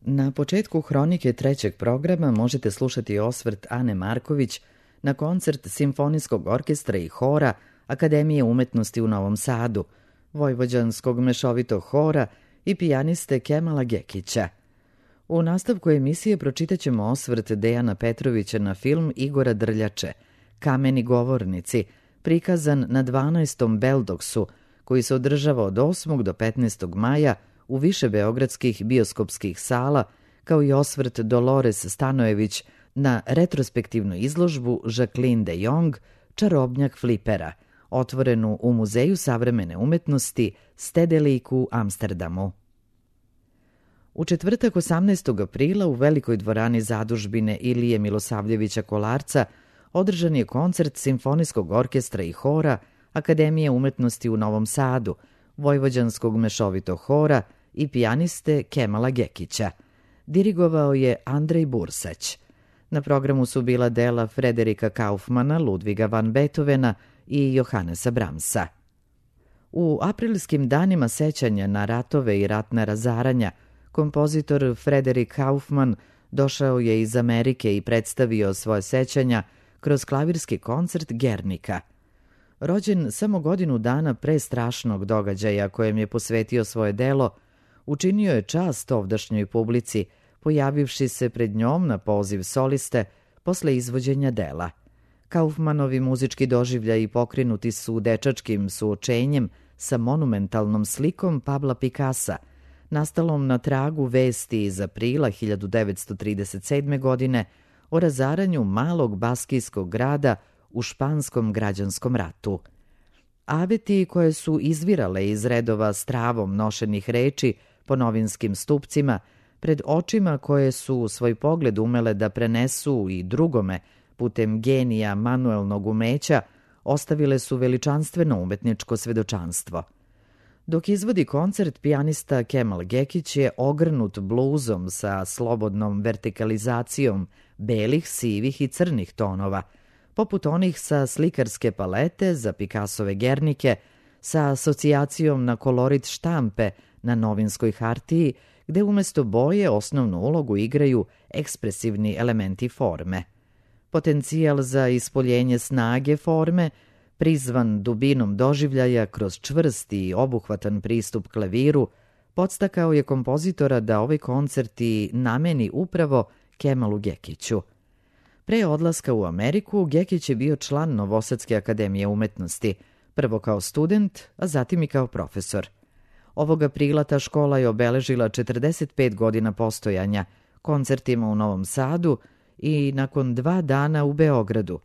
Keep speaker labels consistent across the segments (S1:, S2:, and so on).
S1: Na početku hronike trećeg programa možete slušati osvrt Ane Marković na koncert Simfonijskog orkestra i hora Akademije umetnosti u Novom Sadu, Vojvođanskog mešovitog hora i pijaniste Kemala Gekića. U nastavku emisije pročitaćemo osvrt Dejana Petrovića na film Igora Drljače, Kameni govornici, prikazan na 12. Beldoksu, koji se održava od 8. do 15. maja u više beogradskih bioskopskih sala, kao i osvrt Dolores Stanojević na retrospektivnu izložbu Jacqueline de Jong, Čarobnjak flipera, otvorenu u Muzeju savremene umetnosti Stedelijk u Amsterdamu. U četvrtak 18. aprila u Velikoj dvorani zadužbine Ilije Milosavljevića Kolarca održan je koncert Simfonijskog orkestra i hora Akademije umetnosti u Novom Sadu, Vojvođanskog mešovitog hora i pijaniste Kemala Gekića. Dirigovao je Andrej Bursać. Na programu su bila dela Frederika Kaufmana, Ludviga van Beethovena i Johannesa Brahmsa. U aprilskim danima sećanja na ratove i ratna razaranja, kompozitor Frederik Kaufman došao je iz Amerike i predstavio svoje sećanja kroz klavirski koncert Gernika. Rođen samo godinu dana pre strašnog događaja kojem je posvetio svoje delo, učinio je čast ovdašnjoj publici, pojavivši se pred njom na poziv soliste posle izvođenja dela. Kaufmanovi muzički doživljaji pokrenuti su dečačkim suočenjem sa monumentalnom slikom Pabla Picassa, nastalom na tragu vesti iz aprila 1937. godine o razaranju malog baskijskog grada u španskom građanskom ratu. Aveti koje su izvirale iz redova s travom nošenih reči po novinskim stupcima, pred očima koje su svoj pogled umele da prenesu i drugome putem genija manuelnog umeća, ostavile su veličanstveno umetničko svedočanstvo. Dok izvodi koncert, pijanista Kemal Gekić je ogrnut bluzom sa slobodnom vertikalizacijom belih, sivih i crnih tonova, poput onih sa slikarske palete za Picassove Gernike, sa asocijacijom na kolorit štampe na novinskoj hartiji, gde umesto boje osnovnu ulogu igraju ekspresivni elementi forme. Potencijal za ispoljenje snage forme, prizvan dubinom doživljaja kroz čvrst i obuhvatan pristup klaviru, podstakao je kompozitora da ovaj koncert i nameni upravo Kemalu Gekiću. Pre odlaska u Ameriku, Gekić je bio član Novosadske akademije umetnosti, prvo kao student, a zatim i kao profesor. Ovog aprila ta škola je obeležila 45 godina postojanja, koncertima u Novom Sadu i nakon 2 dana u Beogradu.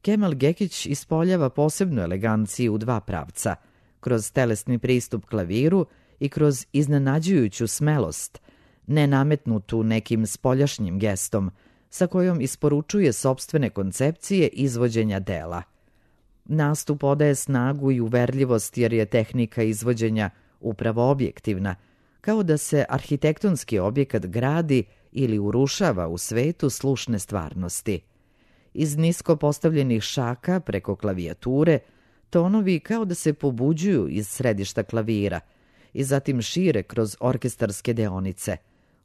S1: Kemal Gekić ispoljava posebnu eleganciju u 2 pravca, kroz telesni pristup klaviru i kroz iznenađujuću smelost, nenametnutu nekim spoljašnjim gestom, sa kojom isporučuje sopstvene koncepcije izvođenja dela. Nastup odaje snagu i uverljivost jer je tehnika izvođenja upravo objektivna, kao da se arhitektonski objekat gradi ili urušava u svetu slušne stvarnosti. Iz nisko postavljenih šaka preko klavijature, tonovi kao da se pobuđuju iz središta klavira i zatim šire kroz orkestarske deonice.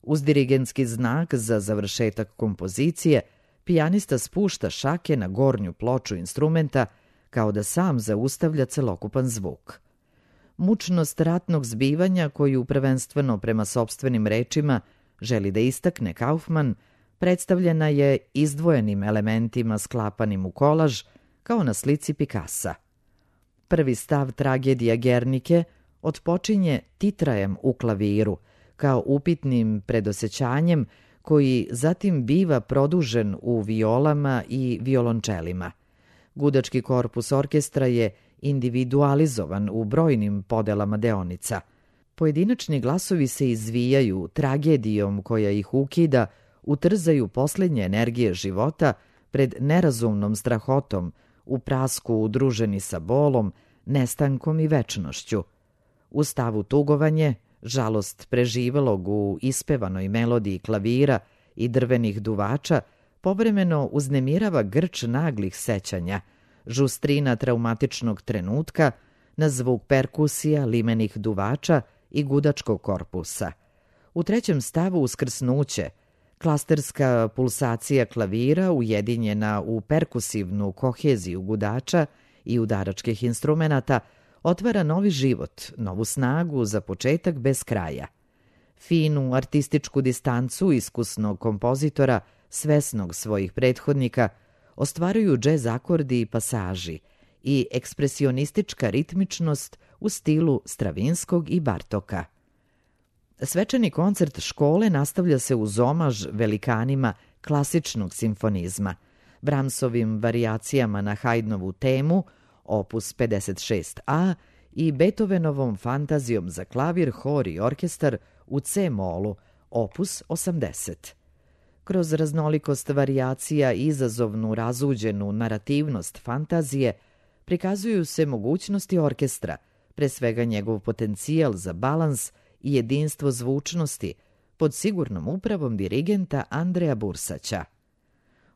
S1: Uz dirigentski znak za završetak kompozicije, pijanista spušta šake na gornju ploču instrumenta kao da sam zaustavlja celokupan zvuk. Mučnost ratnog zbivanja, koju prvenstveno prema sopstvenim rečima želi da istakne Kaufman, predstavljena je izdvojenim elementima sklapanim u kolaž, kao na slici Picassa. Prvi stav tragedija Gernike otpočinje titrajem u klaviru, kao upitnim predosećanjem koji zatim biva produžen u violama i violončelima. Gudački korpus orkestra je individualizovan u brojnim podelama deonica. Pojedinačni glasovi se izvijaju tragedijom koja ih ukida, utrzaju posljednje energije života pred nerazumnom strahotom, u prasku udruženi sa bolom, nestankom i večnošću. U stavu tugovanje, žalost preživelog u ispevanoj melodiji klavira i drvenih duvača, povremeno uznemirava grč naglih sećanja, žustrina traumatičnog trenutka, na zvuk perkusija, limenih duvača i gudačkog korpusa. U trećem stavu uskrsnuće, klasterska pulsacija klavira ujedinjena u perkusivnu koheziju gudača i udaračkih instrumenata otvara novi život, novu snagu za početak bez kraja. Finu artističku distancu iskusnog kompozitora, svesnog svojih prethodnika, ostvaruju džez akordi i pasaži i ekspresionistička ritmičnost u stilu Stravinskog i Bartoka. Svečani koncert škole nastavlja se uz omaž velikanima klasičnog simfonizma, Brahmsovim varijacijama na Haydnovu temu, opus 56a, i Beethovenovom fantazijom za klavir, hor i orkestar u C-molu, opus 80. Kroz raznolikost varijacija i izazovnu razuđenu narativnost fantazije prikazuju se mogućnosti orkestra, pre svega njegov potencijal za balans i jedinstvo zvučnosti pod sigurnom upravom dirigenta Andreja Bursaća.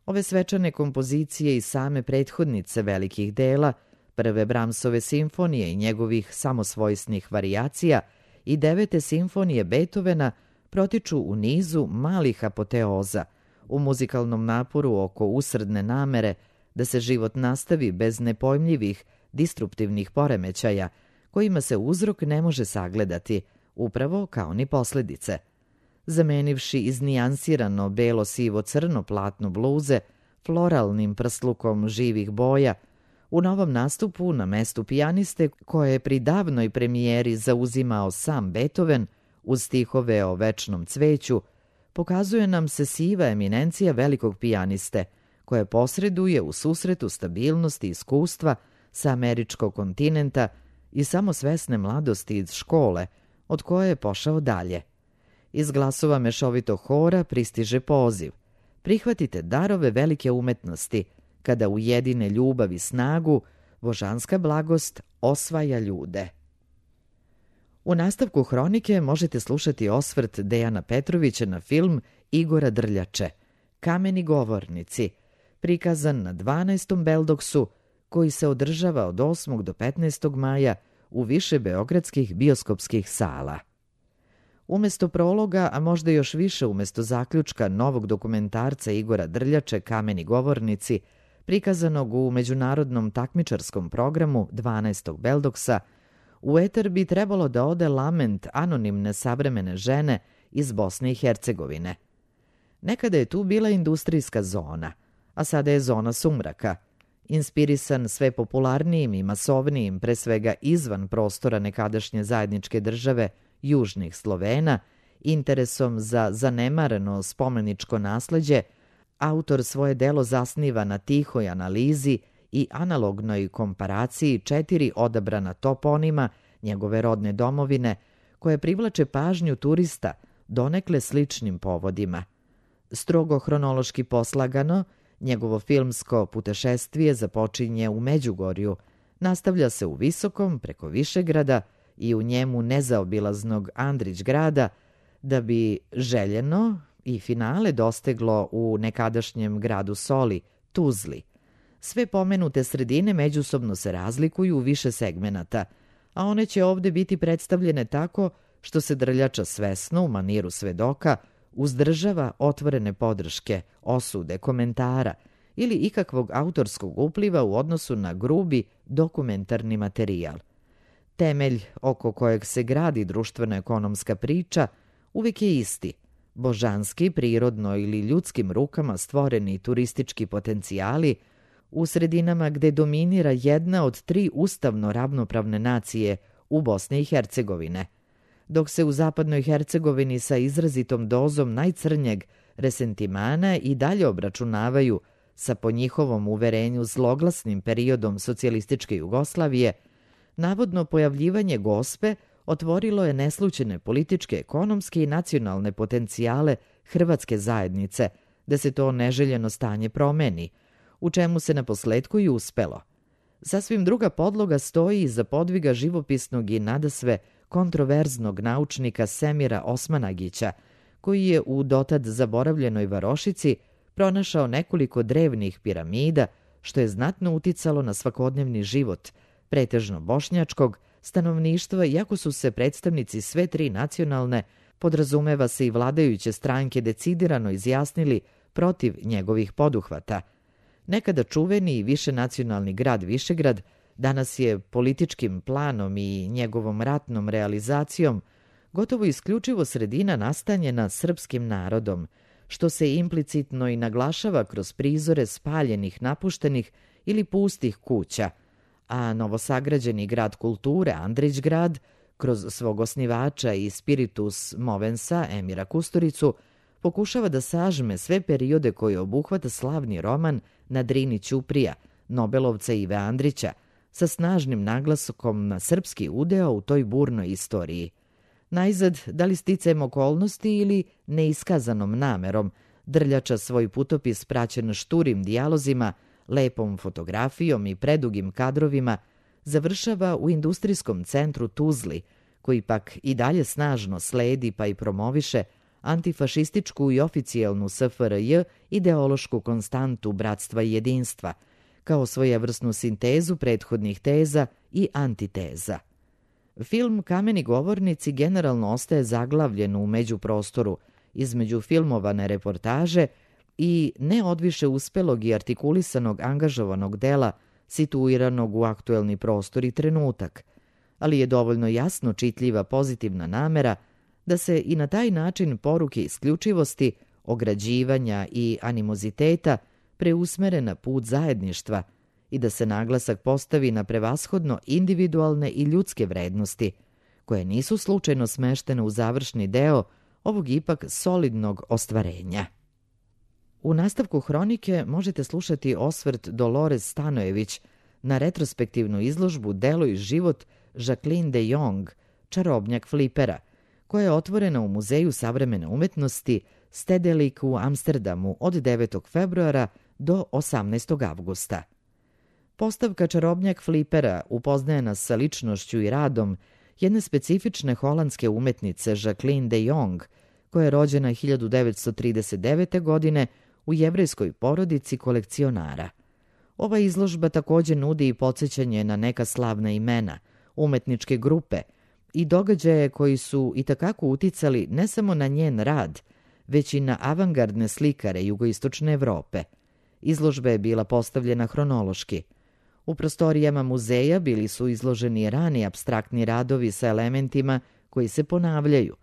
S1: Ove svečane kompozicije i same prethodnice velikih dela, prve Brahmsove simfonije i njegovih samosvojsnih varijacija i 9. simfonije Beethovena protiču u nizu malih apoteoza, u muzikalnom naporu oko usredne namere da se život nastavi bez nepojmljivih, distruptivnih poremećaja, kojima se uzrok ne može sagledati, upravo kao ni posledice. Zamenivši iznijansirano belo-sivo-crno platno bluze floralnim prslukom živih boja, u novom nastupu na mestu pijaniste koje je pri davnoj premijeri zauzimao sam Beethoven uz stihove o večnom cveću, pokazuje nam se siva eminencija velikog pijaniste, koje posreduje u susretu stabilnosti i iskustva sa američkog kontinenta i samosvesne mladosti iz škole, od koje je pošao dalje. Iz glasova mešovitog hora pristiže poziv: prihvatite darove velike umetnosti, kada ujedine ljubav i snagu, božanska blagost osvaja ljude. U nastavku hronike možete slušati osvrt Dejana Petrovića na film Igora Drljače, Kameni govornici, prikazan na 12. Beldoksu, koji se održava od 8. do 15. maja u više beogradskih bioskopskih sala. Umesto prologa, a možda još više umesto zaključka novog dokumentarca Igora Drljače, Kameni govornici, prikazanog u međunarodnom takmičarskom programu 12. Beldoksa, u eter bi trebalo da ode lament anonimne savremene žene iz Bosne i Hercegovine. Nekada je tu bila industrijska zona, a sada je zona sumraka, inspirisan sve popularnijim i masovnijim, pre svega izvan prostora nekadašnje zajedničke države Južnih Slovena, interesom za zanemareno spomeničko nasleđe, autor svoje delo zasniva na tihoj analizi i analognoj komparaciji 4 odabrana toponima njegove rodne domovine, koje privlače pažnju turista donekle sličnim povodima. Strogo hronološki poslagano, njegovo filmsko putešestvije započinje u Međugorju, nastavlja se u Visokom preko Višegrada i u njemu nezaobilaznog Andrić grada, da bi željeno i finale dosteglo u nekadašnjem gradu Soli, Tuzli. Sve pomenute sredine međusobno se razlikuju u više segmenata, a one će ovde biti predstavljene tako što se Drljača svesno, u maniru svedoka, uzdržava otvorene podrške, osude, komentara ili ikakvog autorskog upliva u odnosu na grubi dokumentarni materijal. Temelj oko kojeg se gradi društveno-ekonomska priča uvijek je isti: božanski, prirodno ili ljudskim rukama stvoreni turistički potencijali u sredinama gde dominira jedna od 3 ustavno ravnopravne nacije u Bosni i Hercegovine, dok se u zapadnoj Hercegovini sa izrazitom dozom najcrnjeg resentimana i dalje obračunavaju sa, po njihovom uverenju, zloglasnim periodom socijalističke Jugoslavije. Navodno pojavljivanje Gospe otvorilo je neslućene političke, ekonomske i nacionalne potencijale hrvatske zajednice da se to neželjeno stanje promeni, u čemu se naposletku i uspelo. Sasvim druga podloga stoji iza podviga živopisnog i nadasve kontroverznog naučnika Semira Osmanagića, koji je u dotad zaboravljenoj varošici pronašao nekoliko drevnih piramida, što je znatno uticalo na svakodnevni život pretežno bošnjačkog stanovništva, iako su se predstavnici sve 3 nacionalne Podrazumeva se i vladajuće stranke decidirano izjasnili protiv njegovih poduhvata. Nekada čuveni i višenacionalni grad Višegrad danas je političkim planom i njegovom ratnom realizacijom gotovo isključivo sredina nastanjena srpskim narodom, što se implicitno i naglašava kroz prizore spaljenih, napuštenih ili pustih kuća, a novosagrađeni grad kulture Andrićgrad, kroz svog osnivača i spiritus movensa Emira Kusturicu, pokušava da sažme sve periode koje obuhvata slavni roman Na Drini Ćuprija, Nobelovca Ive Andrića, sa snažnim naglaskom na srpski udeo u toj burnoj istoriji. Najzad, da li sticajem okolnosti ili neiskazanom namerom, Drljača svoj putopis praćen šturim dijalozima, lepom fotografijom i predugim kadrovima završava u industrijskom centru Tuzli, koji pak i dalje snažno sledi pa i promoviše antifašističku i oficijelnu SFRJ ideološku konstantu bratstva i jedinstva, kao svojevrsnu sintezu prethodnih teza i antiteza. Film Kameni govornici generalno ostaje zaglavljen u međuprostoru između filmovane reportaže i neodviše uspelog i artikulisanog angažovanog dela situiranog u aktuelni prostor i trenutak, ali je dovoljno jasno čitljiva pozitivna namera da se i na taj način poruke isključivosti, ograđivanja i animoziteta preusmere na put zajedništva i da se naglasak postavi na prevashodno individualne i ljudske vrednosti, koje nisu slučajno smeštene u završni deo ovog ipak solidnog ostvarenja. U nastavku hronike možete slušati osvrt Dolores Stanojević na retrospektivnu izložbu Delo i život Jacqueline de Jong, čarobnjak flipera, koja je otvorena u Muzeju savremene umetnosti Stedelijk u Amsterdamu od 9. februara do 18. avgusta. Postavka čarobnjak flipera upoznaje nas sa ličnošću i radom jedne specifične holandske umetnice Jacqueline de Jong, koja je rođena 1939. godine u jevrejskoj porodici kolekcionara. Ova izložba također nudi i podsjećanje na neka slavna imena, umetničke grupe i događaje koji su itekako uticali ne samo na njen rad, već i na avangardne slikare jugoistočne Evrope. Izložba je bila postavljena hronološki. U prostorijama muzeja bili su izloženi rani apstraktni radovi sa elementima koji se ponavljaju.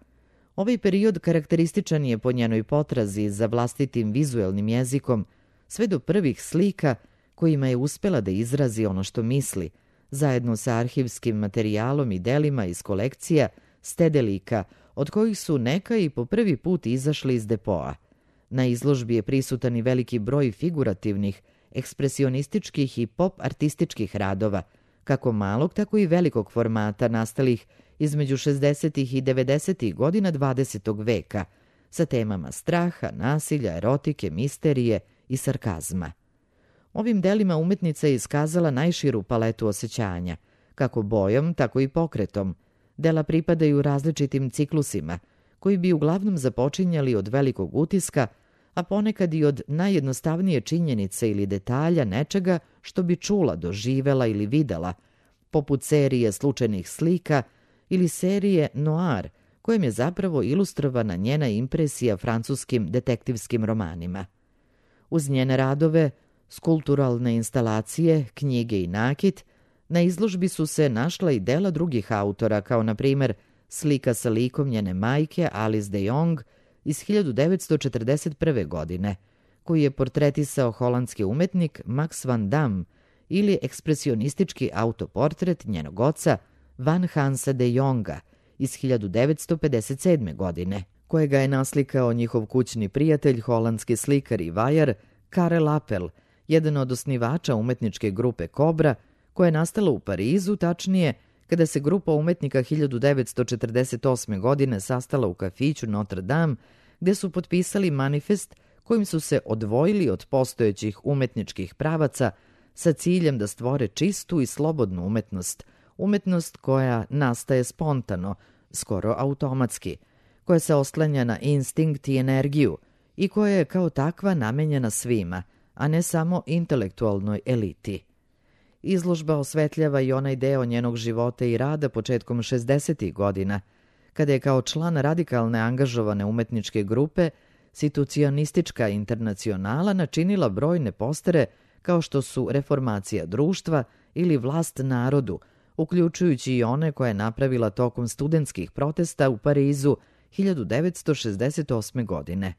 S1: Ovaj period karakterističan je po njenoj potrazi za vlastitim vizuelnim jezikom, sve do prvih slika kojima je uspela da izrazi ono što misli, zajedno sa arhivskim materijalom i delima iz kolekcija Stedelika, od kojih su neka i po prvi put izašli iz depoa. Na izložbi je prisutan i veliki broj figurativnih, ekspresionističkih i pop-artističkih radova, kako malog, tako i velikog formata nastalih između 60. i 90. godina 20. veka, sa temama straha, nasilja, erotike, misterije i sarkazma. Ovim delima umetnica je iskazala najširu paletu osjećanja, kako bojom, tako i pokretom. Dela pripadaju različitim ciklusima, koji bi uglavnom započinjali od velikog utiska, a ponekad i od najjednostavnije činjenice ili detalja nečega što bi čula, doživela ili videla, poput serije slučajnih slika ili serije Noir, kojem je zapravo ilustrovana njena impresija francuskim detektivskim romanima. Uz njene radove, skulpturalne instalacije, knjige i nakit, na izložbi su se našla i dela drugih autora, kao na primjer slika sa likom njene majke Alice de Jong iz 1941. godine, koji je portretisao holandski umetnik Max van Dam, ili ekspresionistički autoportret njenog oca Van Hansa de Jonga iz 1957. godine, kojega je naslikao njihov kućni prijatelj, holandski slikar i vajar Karel Appel, jedan od osnivača umetničke grupe Kobra, koja je nastala u Parizu, tačnije kada se grupa umetnika 1948. godine sastala u kafiću Notre Dame, gde su potpisali manifest kojim su se odvojili od postojećih umetničkih pravaca sa ciljem da stvore čistu i slobodnu umetnost, umetnost koja nastaje spontano, skoro automatski, koja se oslanja na instinkt i energiju i koja je kao takva namenjena svima, a ne samo intelektualnoj eliti. Izložba osvetljava i onaj deo njenog života i rada početkom 60. godina, kada je kao član radikalne angažovane umetničke grupe Situacionistička internacionala načinila brojne postere kao što su Reformacija društva ili Vlast narodu, uključujući i one koje je napravila tokom studentskih protesta u Parizu 1968. godine.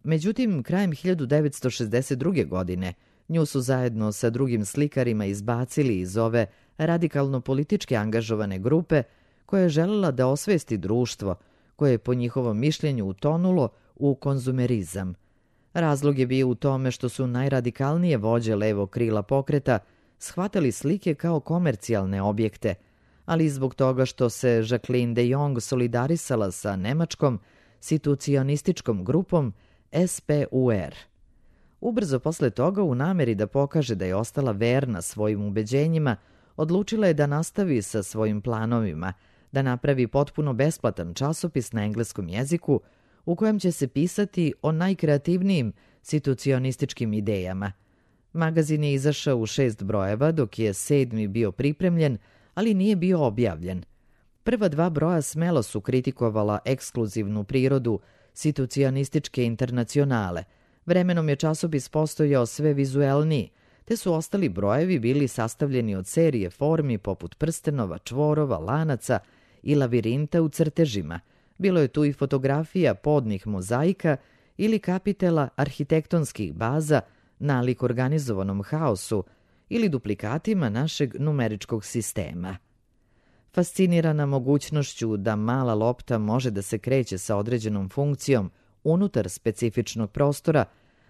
S1: Međutim, krajem 1962. godine nju su zajedno sa drugim slikarima izbacili iz ove radikalno politički angažovane grupe koja je želela da osvesti društvo, koje je po njihovom mišljenju utonulo u konzumerizam. Razlog je bio u tome što su najradikalnije vođe levog krila pokreta shvatali slike kao komercijalne objekte, ali i zbog toga što se Jacqueline de Jong solidarisala sa nemačkom situacionističkom grupom SPUR. Ubrzo posle toga, u nameri da pokaže da je ostala verna svojim ubeđenjima, odlučila je da nastavi sa svojim planovima, da napravi potpuno besplatan časopis na engleskom jeziku u kojem će se pisati o najkreativnijim situacionističkim idejama. Magazin je izašao u 6 brojeva, dok je 7. bio pripremljen, ali nije bio objavljen. Prva 2 broja smelo su kritikovala ekskluzivnu prirodu Situacionističke internacionale. Vremenom je časopis postojao sve vizuelniji, te su ostali brojevi bili sastavljeni od serije formi poput prstenova, čvorova, lanaca i lavirinta u crtežima. Bilo je tu i fotografija podnih mozaika ili kapitela arhitektonskih baza nalik organizovanom haosu ili duplikatima našeg numeričkog sistema. Fascinirana mogućnošću da mala lopta može da se kreće sa određenom funkcijom unutar specifičnog prostora,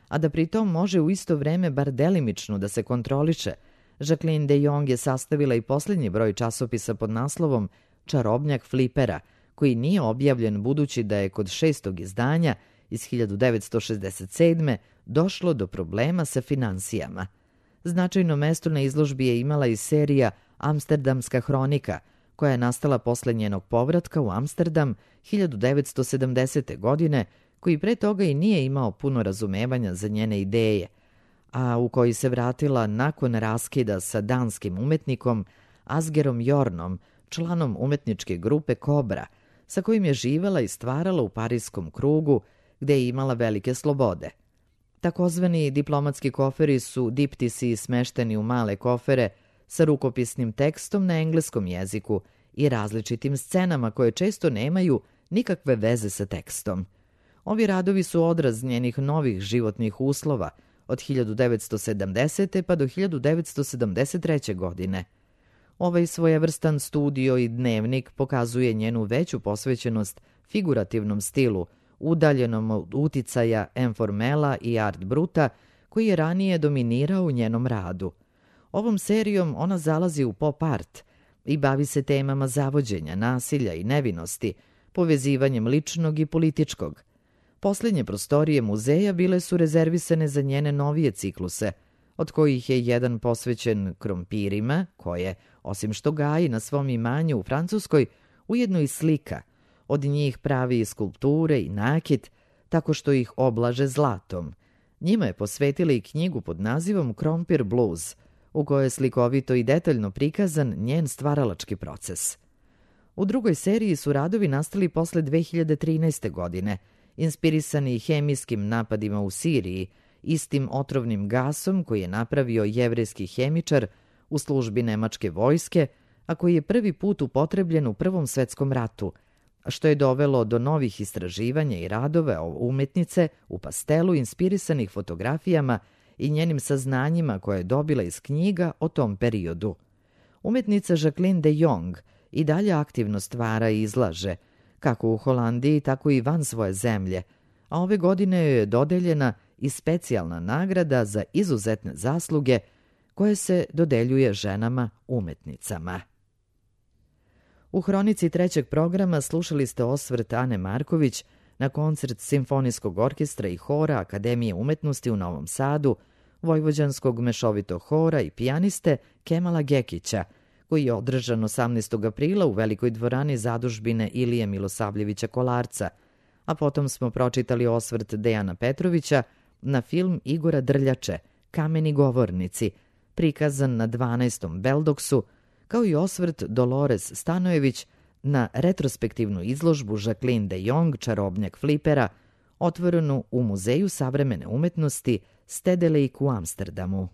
S1: a da pritom može u isto vreme bar delimično da se kontroliše, Jacqueline de Jong je sastavila i posljednji broj časopisa pod naslovom Čarobnjak flipera, koji nije objavljen budući da je kod 6. izdanja iz 1967. došlo do problema sa finansijama. Značajno mesto na izložbi je imala i serija Amsterdamska hronika, koja je nastala posle njenog povratka u Amsterdam 1970. godine, koji pre toga i nije imao puno razumevanja za njene ideje, a u koji se vratila nakon raskida sa danskim umetnikom Asgerom Jornom, članom umetničke grupe Kobra, sa kojim je živela i stvarala u parijskom krugu, gde je imala velike slobode. Takozvani diplomatski koferi su diptisi smešteni u male kofere sa rukopisnim tekstom na engleskom jeziku i različitim scenama koje često nemaju nikakve veze sa tekstom. Ovi radovi su odraz njenih novih životnih uslova od 1970. pa do 1973. godine. Ovaj svojevrstan studio i dnevnik pokazuje njenu veću posvećenost figurativnom stilu, udaljenom od uticaja informela i art bruta, koji je ranije dominirao u njenom radu. Ovom serijom ona zalazi u pop art i bavi se temama zavođenja, nasilja i nevinosti, povezivanjem ličnog i političkog. Posljednje prostorije muzeja bile su rezervisane za njene novije cikluse, od kojih je jedan posvećen krompirima, koje, osim što gaji na svom imanju u Francuskoj, ujedno i slika. Od njih pravi i skulpture i nakit, tako što ih oblaže zlatom. Njima je posvetila i knjigu pod nazivom Krompir blues, u kojoj je slikovito i detaljno prikazan njen stvaralački proces. U drugoj seriji su radovi nastali posle 2013. godine, inspirisani hemijskim napadima u Siriji, istim otrovnim gasom koji je napravio jevrejski hemičar u službi nemačke vojske, a koji je prvi put upotrebljen u Prvom svetskom ratu, što je dovelo do novih istraživanja i radova o umetnice u pastelu inspirisanih fotografijama i njenim saznanjima koje je dobila iz knjiga o tom periodu. Umetnica Jacqueline de Jong i dalje aktivno stvara i izlaže, kako u Holandiji, tako i van svoje zemlje, a ove godine joj je dodeljena i specijalna nagrada za izuzetne zasluge koje se dodeljuje ženama umetnicama. U hronici 3. programa slušali ste osvrt Ane Marković na koncert Simfonijskog orkestra i hora Akademije umetnosti u Novom Sadu, vojvođanskog mešovitog hora i pijaniste Kemala Gekića, koji je održan 18. aprila u velikoj dvorani zadužbine Ilije Milosavljevića Kolarca, a potom smo pročitali osvrt Dejana Petrovića na film Igora Drljače, Kameni govornici, prikazan na 12. Beldoksu, kao i osvrt Dolores Stanojević na retrospektivnu izložbu Jacqueline de Jong, čarobnjak flipera, otvorenu u Muzeju savremene umetnosti Stedelijk u Amsterdamu.